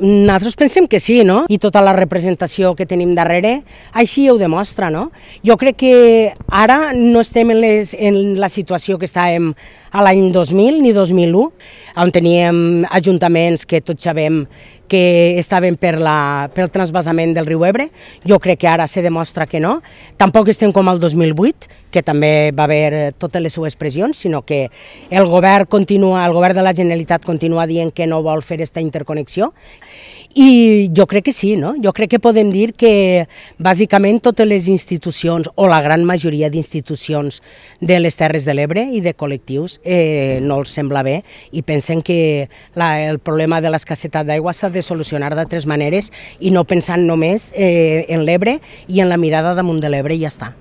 Nosaltres pensem que sí, no? I tota la representació que tenim darrere així ho demostra, no? Jo crec que ara no estem en la situació que estàvem a l'any 2000 ni 2001, on teníem ajuntaments que tots sabem que estaven pel transvasament del riu Ebre. Jo crec que ara se demostra que no. Tampoc estem com el 2008, que també va haver totes les seues pressions, sinó que el govern de la Generalitat continua dient que no vol fer aquesta interconnexió. I jo crec que sí, no? Jo crec que podem dir que bàsicament totes les institucions, o la gran majoria d'institucions de les Terres de l'Ebre i de col·lectius no els sembla bé i pensen que el problema de l'escassetat d'aigua s'ha de solucionar d'altres maneres i no pensant només en l'Ebre i en la mirada damunt de l'Ebre i ja està.